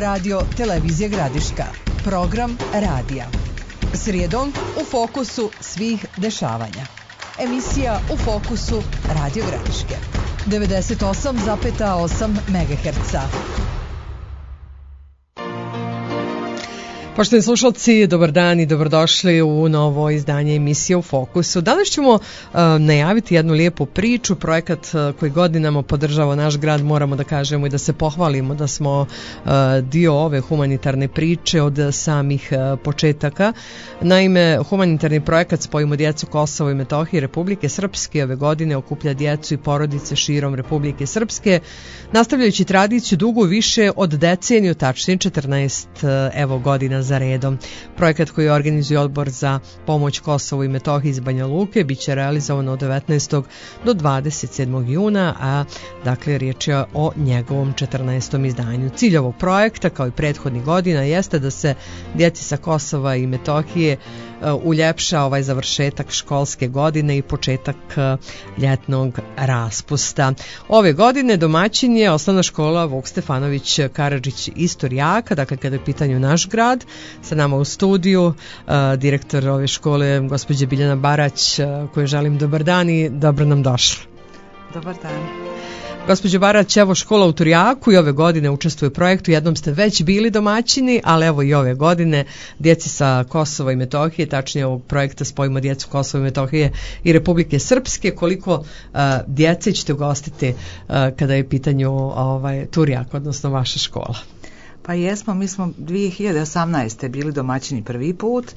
Radio Televizija Gradiška. Program radija. Srijedom u fokusu svih dešavanja. Emisija U fokusu Radio Gradiške. 98,8 MHz. Poštovani slušalci, dobar dan i dobrodošli u novo izdanje emisije U fokusu. Danas ćemo najaviti jednu lijepu priču, projekat koji godinama podržava naš grad, moramo da kažemo i da se pohvalimo da smo dio ove humanitarne priče od samih početaka. Naime, humanitarni projekat Spojimo djecu Kosovo i Metohije Republike Srpske ove godine okuplja djecu i porodice širom Republike Srpske, nastavljajući tradiciju dugu više od deceniju, tačnije 14 godina za redom. Projekat koji organizuje Odbor za pomoć Kosovu i Metohiji iz Banja Luke biće realizovan od 19. do 27. juna, a dakle riječ je o njegovom 14. izdanju. Cilj ovog projekta, kao i prethodnih godina, jeste da se djeci sa Kosova i Metohije uljepša ovaj završetak školske godine i početak ljetnog raspusta. Ove godine domaćin je osnovna škola Vuk Stefanović Karadžić iz Turjaka, dakle kada je u pitanju naš grad. Sa nama u studiju direktor ove škole, gospođa Biljana Barać, kojoj želim dobar dan i dobro nam došla. Dobar dan. Gospođo Barać, evo škola u Turjaku i ove godine učestvuje u projektu, jednom ste već bili domaćini, ali evo i ove godine djeci sa Kosova i Metohije, tačnije ovog projekta Spojimo djecu Kosova i Metohije i Republike Srpske, koliko djece ćete ugostiti kada je pitanju Turjak, odnosno vaša škola? Pa jesmo, mi smo 2018. bili domaćini prvi put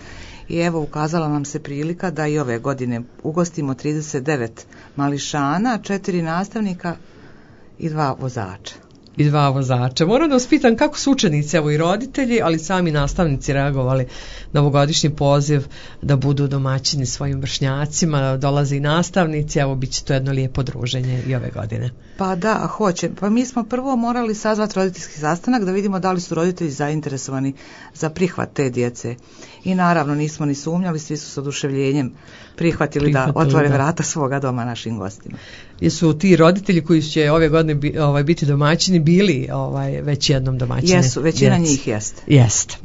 i evo ukazala nam se prilika da i ove godine ugostimo 39 mališana, 4 nastavnika i 2 vozača. I 2 vozača. Moram da vas pitam kako su učenici, evo i roditelji, ali sami nastavnici reagovali na ovogodišnji poziv da budu domaćini svojim vršnjacima, dolaze i nastavnici, evo bit će to jedno lijepo druženje i ove godine. Pa da, hoće. Pa mi smo prvo morali sazvati roditeljski sastanak da vidimo da li su roditelji zainteresovani za prihvat te djece. I naravno nismo ni sumnjali, svi su s oduševljenjem prihvatili da otvore vrata svoga doma našim gostima. Jesu ti roditelji koji će ove godine biti domaćini bili već jednom domaćini? Jesu, većina njih jeste. Jeste.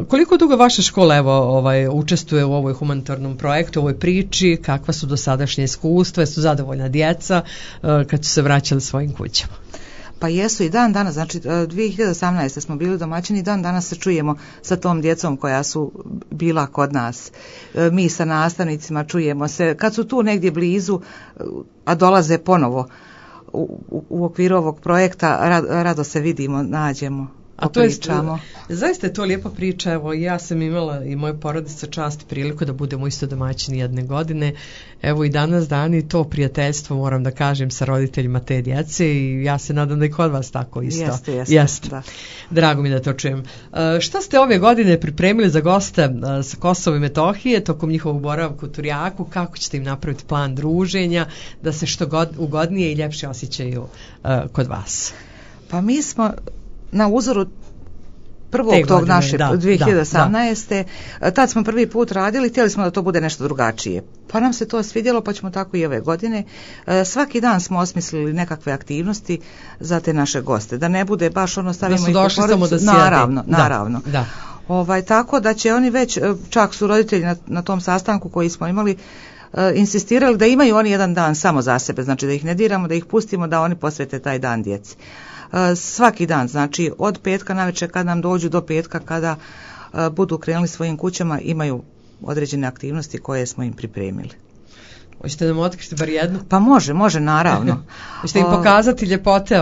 Koliko dugo vaša škola učestvuje u ovoj humanitarnom projektu, u ovoj priči, kakva su dosadašnje iskustva, su zadovoljna djeca kad su se vraćali svojim kućama? Pa jesu i dan danas, znači 2018. smo bili domaćini, dan danas se čujemo sa tom djecom koja su bila kod nas. Mi sa nastavnicima čujemo se, kad su tu negdje blizu, a dolaze ponovo u okviru ovog projekta, rado se vidimo, nađemo. A to je, zaista je to lijepa priča, evo ja sam imala i moja porodica čast i priliku da budemo isto domaćini jedne godine, evo i danas dan i to prijateljstvo moram da kažem sa roditeljima te djece i ja se nadam da i kod vas tako isto. Jeste. Da. Drago mi da to čujem. Šta ste ove godine pripremili za goste sa Kosova i Metohije tokom njihovog boravka u Turjaku, kako ćete im napraviti plan druženja da se što ugodnije i ljepše osjećaju kod vas? Pa mi smo na uzoru prvog tog našeg 2018. Tad smo prvi put radili, htjeli smo da to bude nešto drugačije. Pa nam se to svidjelo, pa ćemo tako i ove godine. Svaki dan smo osmislili nekakve aktivnosti za te naše goste. Da ne bude baš stavimo ih u porodicu. Naravno. Da. Tako da će oni već, čak su roditelji na tom sastanku koji smo imali, insistirali da imaju oni jedan dan samo za sebe. Znači da ih ne diramo, da ih pustimo da oni posvete taj dan djeci. Svaki dan, znači od petka navečer kad nam dođu do petka kada budu krenuli svojim kućama, imaju određene aktivnosti koje smo im pripremili. Hoćete da nam otkriti bar jednu? Pa može, naravno. Hoćete im pokazati ljepote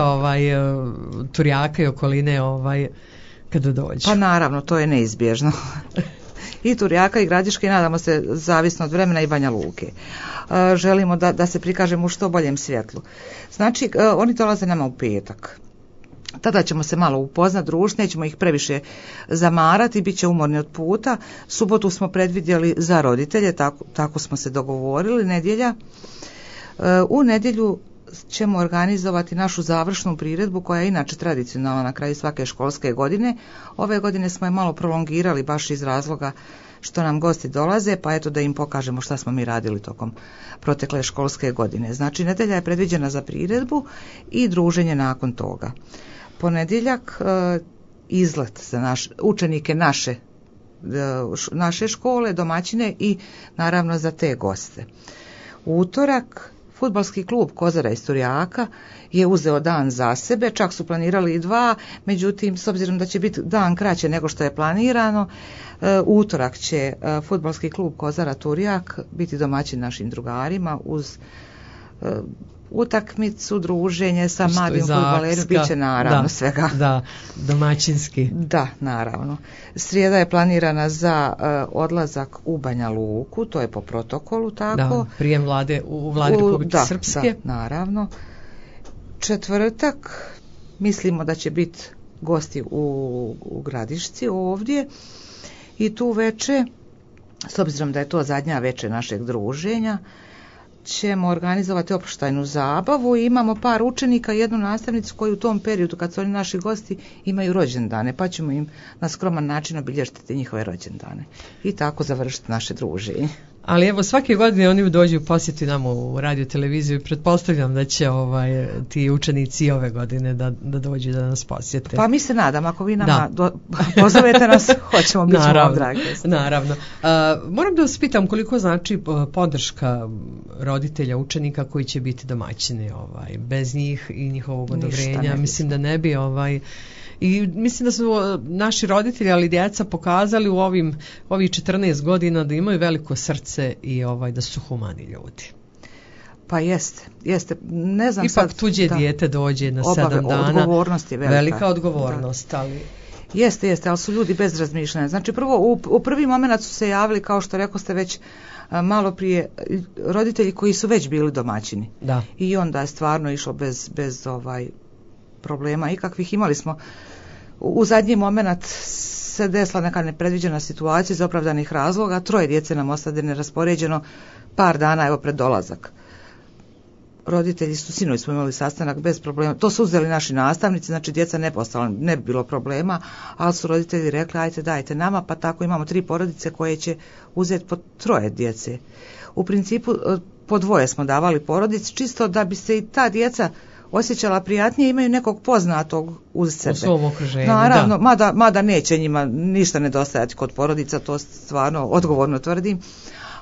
Turjaka i okoline kada dođu? Pa naravno, to je neizbježno. I Turjaka i Gradiške, nadamo se, zavisno od vremena, i Banja Luke. Želimo da se prikažemo u što boljem svjetlu. Znači, oni dolaze nama u petak. Tada ćemo se malo upoznati, družiti, nećemo ih previše zamarati, bit će umorni od puta. Subotu smo predvidjeli za roditelje, tako smo se dogovorili, nedjelja. U nedjelju ćemo organizovati našu završnu priredbu koja je inače tradicionalna na kraju svake školske godine. Ove godine smo je malo prolongirali baš iz razloga što nam gosti dolaze, pa eto da im pokažemo šta smo mi radili tokom protekle školske godine. Znači, nedjelja je predviđena za priredbu i druženje nakon toga. Ponedjeljak izlet za učenike naše škole, domaćine i naravno za te goste. U utorak fudbalski klub Kozara iz Turjaka je uzeo dan za sebe, čak su planirali i 2, međutim s obzirom da će biti dan kraće nego što je planirano, u utorak će fudbalski klub Kozara Turjak biti domaćin našim drugarima uz utakmicu, druženje sa mladim fudbalerima, bit će naravno svega. Da, domaćinski. Da, naravno. Srijeda je planirana za odlazak u Banja Luku, to je po protokolu tako. Da, prijem u vladi Republike Srpske. Da, naravno. Četvrtak mislimo da će biti gosti u Gradišci ovdje i tu veče, s obzirom da je to zadnja veče našeg druženja, ćemo organizovati oproštajnu zabavu i imamo par učenika i jednu nastavnicu koji u tom periodu kad su oni naši gosti imaju rođendane, pa ćemo im na skroman način obilježiti njihove rođendane i tako završiti naše druženje. Ali evo svake godine oni dođu posjeti nam u radio televiziju i pretpostavljam da će ti učenici ove godine da dođu da nas posjete. Pa mi se nadam, ako vi nama pozovete nas, hoćemo biti vam dragi. Naravno. Moram da vas pitam koliko znači podrška roditelja, učenika koji će biti domaćini, bez njih i njihovog odobrenja, mislim da ne bi i mislim da su naši roditelji, ali djeca pokazali u ovih 14 godina da imaju veliko srce i da su humani ljudi. Pa jeste. Ne znam, ipak tuđe dijete dođe na 7 dana. Odgovornost je velika odgovornost, ali... Jeste, ali su ljudi bez razmišljanja. Znači prvo, u prvi moment su se javili, kao što rekao ste već malo prije, roditelji koji su već bili domaćini. Da. I onda je stvarno išlo bez problema ikakvih. Imali smo u zadnji moment se desila neka nepredviđena situacija iz opravdanih razloga, 3 djece nam ostade neraspoređeno par dana pred dolazak. Roditelji su, sinoć smo imali sastanak bez problema, to su uzeli naši nastavnici, znači djeca ne bi bilo problema, ali su roditelji rekli ajte dajte nama, pa tako imamo 3 porodice koje će uzeti po 3 djece. U principu po 2 smo davali porodici, čisto da bi se i ta djeca osjećala prijatnije, imaju nekog poznatog uz sebe. U svom okruženju, naravno, mada neće njima ništa nedostajati kod porodica, to stvarno odgovorno tvrdim,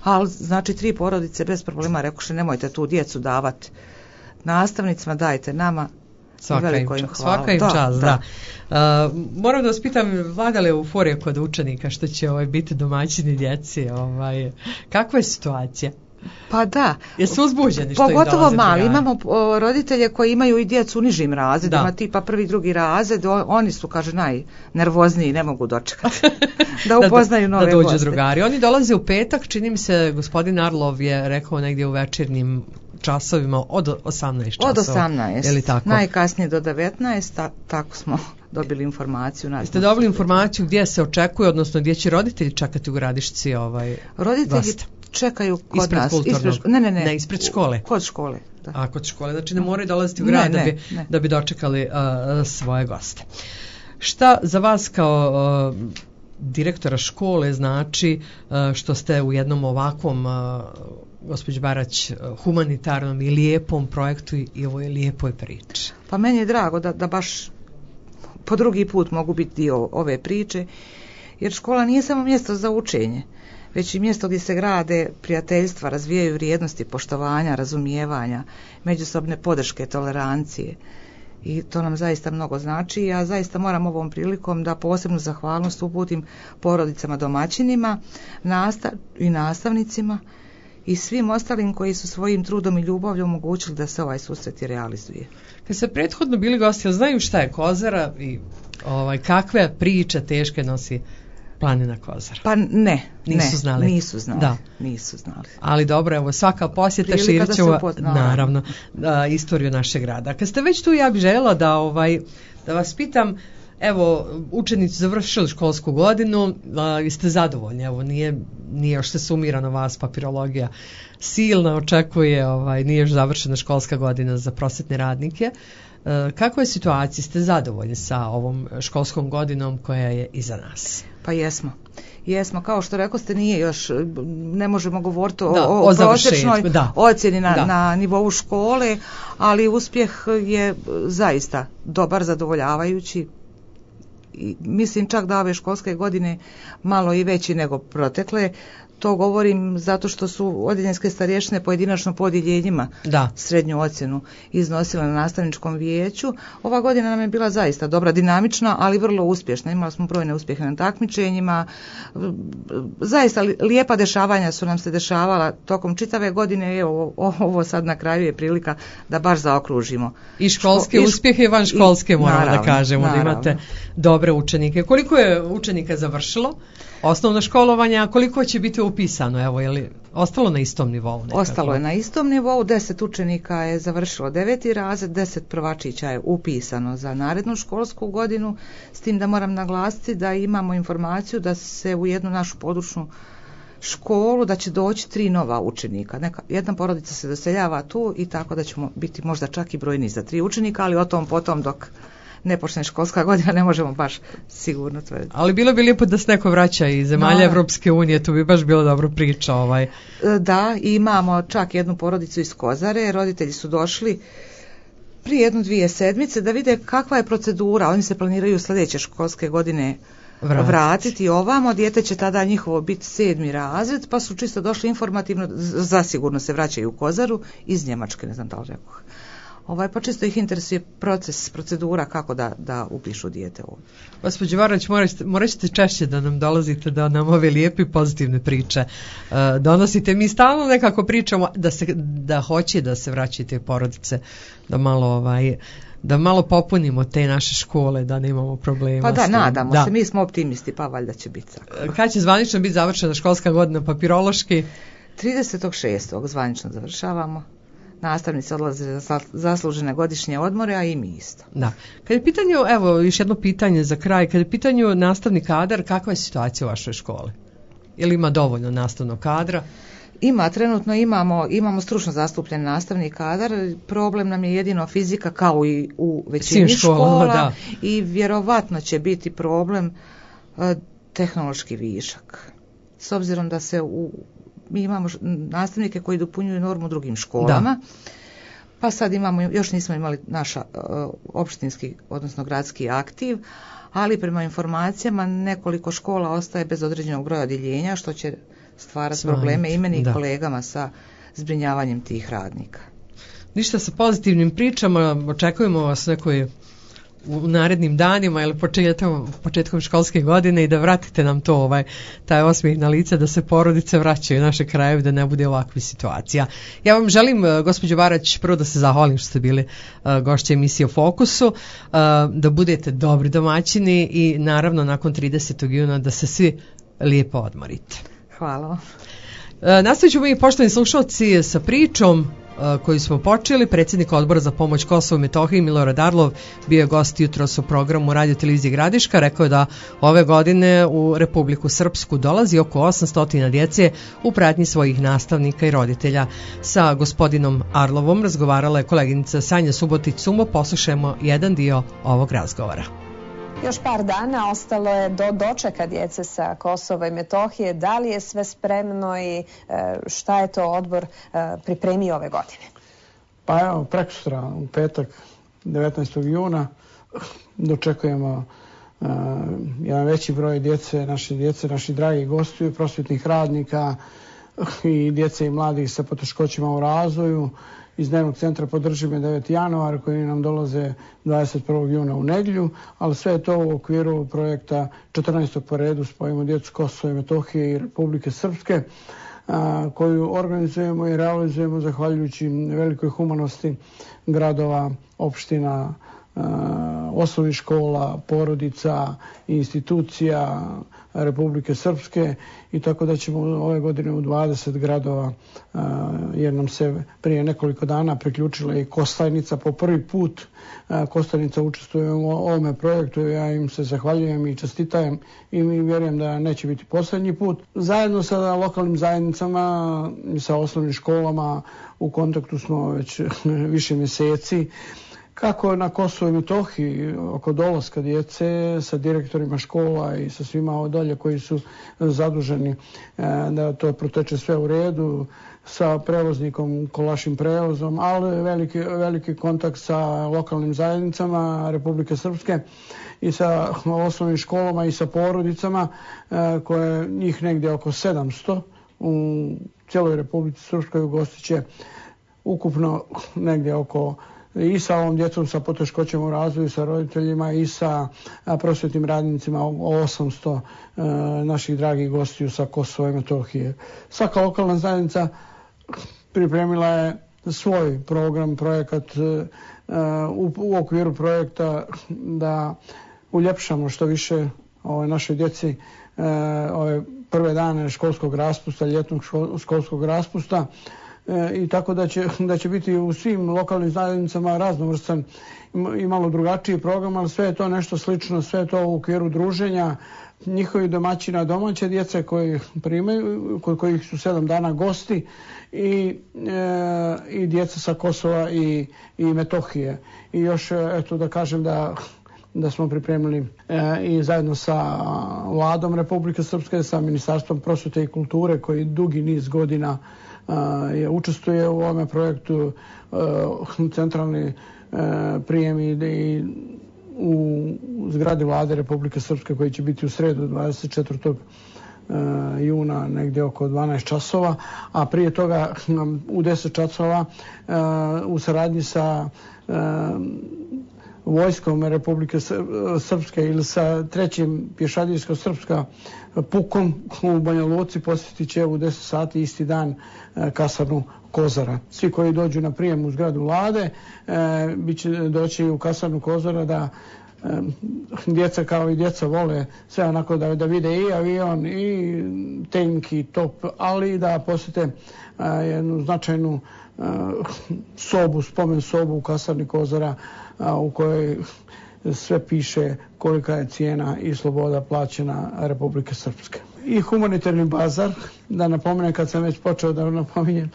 ali znači 3 porodice bez problema rekoše nemojte tu djecu davati nastavnicima, dajte nama. Svaka im čast, da. Moram da vas pitam, vlada li euforija kod učenika što će biti domaćini djeci? Kakva je situacija? Pa da. Jesu uzbuđeni što pogotovo mali. Imamo roditelje koji imaju i djecu u nižim razredima, tipa 1. 2. razred, oni su, kaže, najnervozniji, ne mogu dočekati da upoznaju nove goste. Da dođu drugari. Oni dolaze u petak, čini mi se, gospodin Arlov je rekao negdje u večernjim časovima od 18 časova. Od 18, najkasnije do 19, tako smo dobili informaciju. Ste dobili informaciju gdje se očekuje, odnosno gdje će roditelji čekati u Gradišci roditelji gosta? Čekaju kod ispred nas. Ne, ispred škole. Kod škole. Da. A kod škole, znači ne moraju dolaziti u grad da bi dočekali svoje goste. Šta za vas kao direktora škole znači što ste u jednom ovakvom, gospođo Barać, humanitarnom i lijepom projektu i ovoj lijepoj priči? Pa meni je drago da baš po drugi put mogu biti dio ove priče, jer škola nije samo mjesto za učenje, već i mjesto gdje se grade prijateljstva, razvijaju vrijednosti poštovanja, razumijevanja, međusobne podrške, tolerancije. I to nam zaista mnogo znači. Ja zaista moram ovom prilikom da posebnu zahvalnost uputim porodicama domaćinima i nastavnicima i svim ostalim koji su svojim trudom i ljubavlju omogućili da se ovaj susret i realizuje. Kad se prethodno bili gosti, znaju šta je Kozara i kakve priče teške nosi planina Kozara? Pa nisu znali. Da. Nisu znali. Ali dobro, evo svaka posjeta širit će naravno istoriju našeg grada. Kad ste već tu, ja bih željela da vas pitam, evo, učenici završili školsku godinu, ste zadovoljni, evo, nije još se sumirano vas papirologija silna očekuje, nije još završena školska godina za prosvetne radnike. Kakva je situacija? Ste zadovoljni sa ovom školskom godinom koja je iza nas? Pa jesmo, kao što rekao ste, nije još, ne možemo govoriti o prosječnoj ocjeni na nivou škole, ali uspjeh je zaista dobar, zadovoljavajući. mislim čak da ove školske godine malo i veći nego protekle. To govorim zato što su odjeljenske starješine pojedinačno po odjeljenjima srednju ocjenu iznosile na nastavničkom vijeću. Ova godina nam je bila zaista dobra, dinamična, ali vrlo uspješna. Imali smo brojne uspjehe na takmičenjima. Zaista lijepa dešavanja su nam se dešavala tokom čitave godine. Evo, ovo sad na kraju je prilika da baš zaokružimo. I školske uspjehe i van školske moramo da kažemo, da imate dobre učenike. Koliko je učenika završilo osnovno školovanje, a koliko će biti upisano? Evo, je li ostalo na istom nivou? Nekako? Ostalo je na istom nivou, 10 učenika je završilo 9. razred, 10 prvačića je upisano za narednu školsku godinu, s tim da moram naglasiti da imamo informaciju da se u jednu našu područnu školu da će doći 3 nova učenika. Jedna porodica se doseljava tu i tako da ćemo biti možda čak i brojni za 3 učenika, ali o tom potom dok ne počne školska godina, ne možemo baš sigurno tvrditi. Ali bilo bi lijepo da se neko vraća iz zemalja Evropske unije, to bi baš bilo dobro priča. Da, imamo čak jednu porodicu iz Kozare, roditelji su došli prije 1-2 sedmice da vide kakva je procedura, oni se planiraju sljedeće školske godine vratiti ovamo, dijete će tada njihovo biti 7. razred, pa su čisto došli informativno, zasigurno se vraćaju u Kozaru iz Njemačke, ne znam da li rekoh. Pa čisto ih interesuje procedura kako da upišu dijete ovdje. Gospođo Varać, morat ćete češće da nam dolazite, da nam ove lijepe i pozitivne priče donosite. Mi stalno nekako pričamo da hoće da se vraćate porodice, da malo popunimo te naše škole, da nemamo problema. Pa da, nadamo se, mi smo optimisti, pa valjda će biti tako. Kad će zvanično biti završena školska godina papirološki? 30.6. zvanično završavamo. Nastavnici odlaze za zaslužene godišnje odmore, a i mi isto. Da. Kad je pitanju, evo još jedno pitanje za kraj, kad je pitanju nastavni kadar, kakva je situacija u vašoj školi? Ili ima dovoljno nastavnog kadra? Trenutno imamo stručno zastupljen nastavni kadar, problem nam je jedino fizika kao i u većini škola i vjerovatno će biti problem tehnološki višak. S obzirom da mi imamo nastavnike koji dopunjuju normu drugim školama, pa sad još nismo imali naš opštinski, odnosno gradski aktiv, ali prema informacijama nekoliko škola ostaje bez određenog broja odjeljenja, što će stvarati probleme i meni i kolegama sa zbrinjavanjem tih radnika. Ništa, sa pozitivnim pričama, očekujemo vas nekoj u narednim danima ili početkom školske godine i da vratite nam to, taj osmijeh na lice, da se porodice vraćaju u naše krajeve, da ne bude ovakvih situacija. Ja vam želim, gospođo Varać, prvo da se zahvalim što ste bili gošće emisije u Fokusu, da budete dobri domaćini i naravno nakon 30. juna da se svi lijepo odmorite. Hvala vam. Nastavit ćemo i poštovani slušalci sa pričom koju smo počeli. Predsjednik Odbora za pomoć Kosovu i Metohiji Milorad Arlov bio je gost jutros u programu Radio televizije Gradiška. Rekao je da ove godine u Republiku Srpsku dolazi oko 800 djece u pratnji svojih nastavnika i roditelja. Sa gospodinom Arlovom razgovarala je koleginica Sanja Subotić-Sumo. Poslušajmo jedan dio ovog razgovora. Još par dana ostalo je do dočeka djece sa Kosova i Metohije. Da li je sve spremno i šta je to odbor pripremio ove godine? Pa evo, prekosutra u petak 19. juna dočekujemo jedan veći broj djece, naših dragih gostiju, prosvjetnih radnika i djece i mladih sa poteškoćama u razvoju. Iz dnevnog centra Podrži me 9. januar koji nam dolaze 21. juna u nedjelju, ali sve je to u okviru projekta 14. po redu Spojimo djecu Kosova i Metohije i Republike Srpske, koju organizujemo i realizujemo zahvaljujući velikoj humanosti gradova, opština, osnovnih škola, porodica, institucija Republike Srpske, i tako da ćemo ove godine u 20 gradova, jer nam se prije nekoliko dana priključila i Kostajnica po prvi put. Kostajnica učestvuje u ovome projektu, ja im se zahvaljujem i čestitam i vjerujem da neće biti posljednji put. Zajedno sa lokalnim zajednicama i sa osnovnim školama u kontaktu smo već više mjeseci kako na Kosovo i Metohiji oko dolaska djece sa direktorima škola i sa svima dolje koji su zaduženi da to proteče sve u redu, sa prevoznikom, Kolašim prevozom, ali veliki kontakt sa lokalnim zajednicama Republike Srpske i sa osnovnim školama i sa porodicama koje njih negdje oko 700 u cijeloj Republici Srpskoj ugostit će ukupno negdje oko i sa ovom djecom sa poteškoćama u razvoju, sa roditeljima i sa prosvjetnim radnicima 800 naših dragih gostiju sa Kosova i Metohije. Svaka lokalna zajednica pripremila je svoj program, projekat u okviru projekta da uljepšamo što više našoj djeci ove prve dane školskog raspusta, ljetnog školskog raspusta. I tako da će biti u svim lokalnim zajednicama raznovrstan i malo drugačiji program, ali sve je to nešto slično, sve je to u okviru druženja njihovih domaćina, domaće djece koji primaju, kod kojih su 7 dana gosti i djeca sa Kosova i Metohije. I još eto da kažem da smo pripremili i zajedno sa Vladom Republike Srpske, sa Ministarstvom prosvjete i kulture koji dugi niz godina učestvuje u ovome projektu, centralni prijem i u zgradi Vlade Republike Srpske koji će biti u sredu 24. juna negdje oko 12 časova, a prije toga u 10 časova u saradnji sa vojskom Republike Srpske ili sa 3. pješadijsko-srpska pukom u Banja Luci posjetit će u 10 sati isti dan kasarnu Kozara. Svi koji dođu na prijem u zgradu Vlade će doći u kasarnu Kozara da djeca kao i djeca vole sve onako da vide i avion i tank i top, ali da posjete jednu značajnu sobu, spomen sobu u kasarni Kozara u kojoj sve piše kolika je cijena i sloboda plaćena Republike Srpske. I humanitarni bazar, da napomenem kad sam već počeo da napominjem,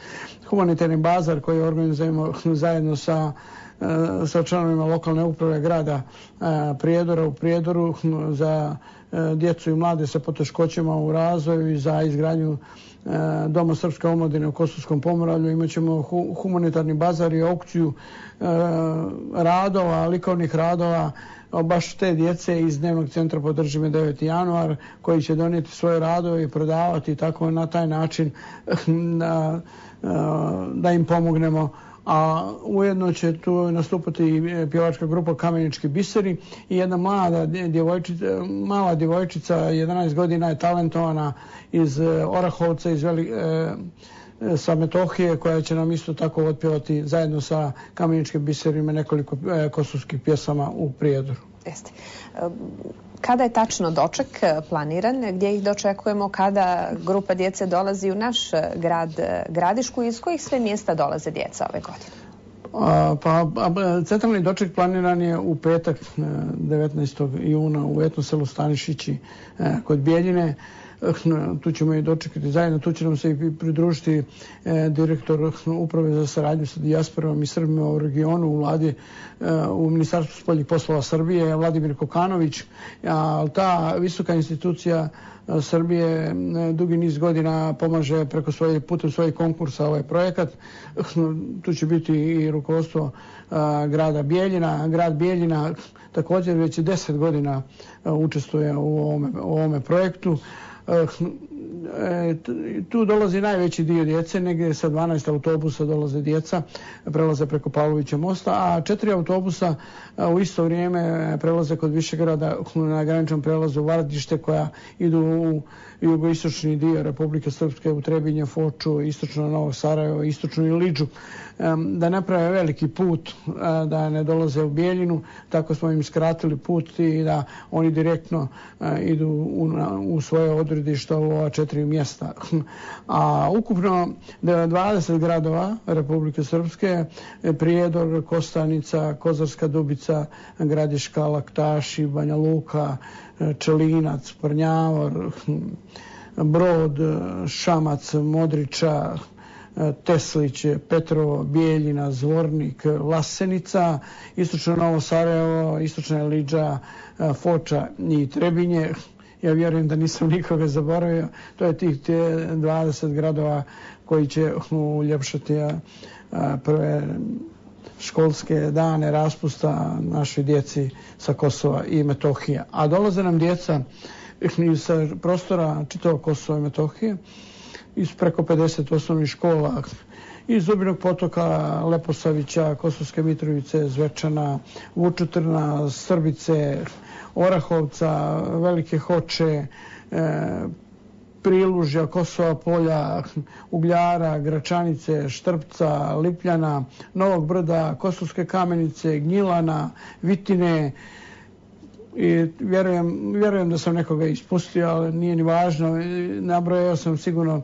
humanitarni bazar koji organizujemo zajedno sa članovima lokalne uprave grada Prijedora u Prijedoru za djecu i mlade sa poteškoćama u razvoju i za izgradnju Doma Srpske omladine u Kosovskom Pomoravlju. Imat ćemo humanitarni bazar i aukciju radova, likovnih radova, baš te djece iz Dnevnog centra Podrži me 9. januar koji će donijeti svoje radove i prodavati tako na taj način da im pomognemo. A ujedno će tu nastupati pjevačka grupa Kamenički biseri i jedna mala djevojčica, 11 godina je talentovana iz Orahovca, sa Metohije, koja će nam isto tako otpjevati zajedno sa Kameničkim biserima nekoliko kosovskih pjesama u Prijedoru. Jeste. Kada je tačno doček planiran, gdje ih dočekujemo, kada grupa djece dolazi u naš grad Gradišku i iz kojih sve mjesta dolaze djeca ove godine? Centralni doček planiran je u petak 19. juna u etno selu Stanišići kod Bijeljine. Tu ćemo i dočekati zajedno, tu će nam se i pridružiti direktor uprave za saradnju sa dijasporom i Srbima u regionu u Vladi, u Ministarstvu spoljnih poslova Srbije, Vladimir Kokanović. Ta visoka institucija Srbije dugi niz godina pomaže putem svojih konkursa ovaj projekat. Tu će biti i rukovodstvo grada Bijeljina. Grad Bijeljina također već 10 godina učestvuje u ovome projektu. Tu dolazi najveći dio djece, negdje sa 12 autobusa dolaze djeca, prelaze preko Pavlovića mosta, a 4 autobusa u isto vrijeme prelaze kod Višegrada na graničnom prelazu Vardište, koja idu u jugoistočni dio Republike Srpske, u Trebinje, Foču, istočno Novog Sarajeva, istočnu Iliđu, da ne prave veliki put, da ne dolaze u Bijeljinu. Tako smo im skratili put i da oni direktno idu u svoje odredišta u ova 4 mjesta. A ukupno 20 gradova Republike Srpske, Prijedor, Kostanica, Kozarska Dubica, Gradiška, Laktaši, Banja Luka, Čelinac, Prnjavor, Brod, Šamac, Modriča, Teslić, Petrovo, Bijeljina, Zvornik, Vlasenica, istočno Novo Sarajevo, istočna Liđa, Foča i Trebinje. Ja vjerujem da nisam nikoga zaboravio. To je tih 20 gradova koji će uljepšati prve školske dane raspusta našoj djeci sa Kosova i Metohije. A dolaze nam djeca iz prostora čitavog Kosova i Metohije, iz preko 50 osnovnih škola, iz Zubinog Potoka, Leposavića, Kosovske Mitrovice, Zvečana, Vučutrna, Srbice, Orahovca, Velike Hoče, Prilužja, Kosova Polja, Ugljara, Gračanice, Štrpca, Lipljana, Novog Brda, Kosovske Kamenice, Gnjilana, Vitine. I vjerujem da sam nekoga ispustio, ali nije ni važno. Nabrojao sam sigurno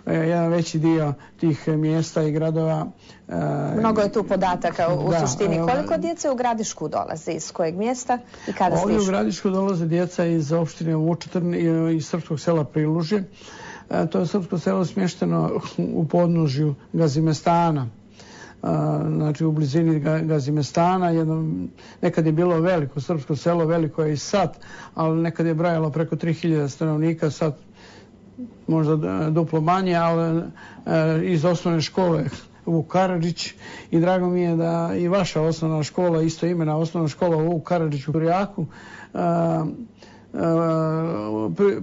jedan veći dio tih mjesta i gradova. Mnogo je tu podataka u suštini. Koliko djece u Gradišku dolaze? Iz kojeg mjesta i kada stižu? Ovdje u Gradišku dolaze djeca iz opštine Vučetrn i iz srpskog sela Prilužje. To je srpsko selo smješteno u podnožju Gazimestana. Znači u blizini Gazimestana. Nekad je bilo veliko srpsko selo, veliko je i sad, ali nekad je brojalo preko 3000 stanovnika, sad možda duplo manje, ali iz osnovne škole Vuk Karadžić, i drago mi je da i vaša osnovna škola, isto imena osnovna škola Vuk Karadžić u Turjaku,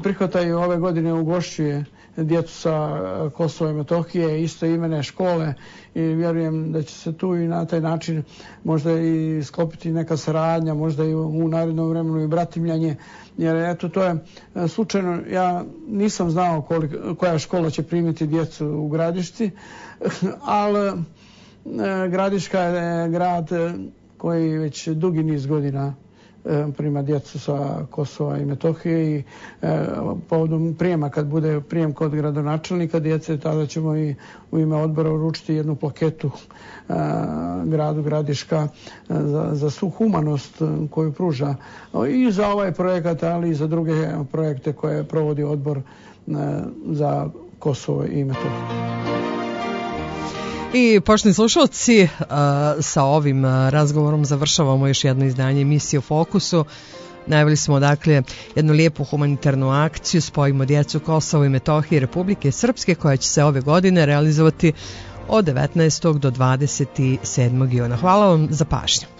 prihvataju ove godine, ugošćuje djecu sa Kosova i Metohije, isto imene škole, i vjerujem da će se tu i na taj način možda i sklopiti neka saradnja, možda i u narednom vremenu i bratimljanje, jer eto to je slučajno, ja nisam znao koja škola će primiti djecu u Gradišci, ali Gradiška je grad koji već dugi niz godina prima djecu sa Kosova i Metohije, i povodom prijema, kad bude prijem kod gradonačelnika djece, tada ćemo i u ime odbora uručiti jednu plaketu gradu Gradiška za svu humanost koju pruža i za ovaj projekat, ali i za druge projekte koje provodi odbor za Kosovo i Metohiju. I poštovani slušalci, sa ovim razgovorom završavamo još jedno izdanje emisije u Fokusu. Najavili smo dakle jednu lijepu humanitarnu akciju Spojimo djecu Kosova i Metohije Republike Srpske, koja će se ove godine realizovati od 19. do 27. juna. Hvala vam za pažnju.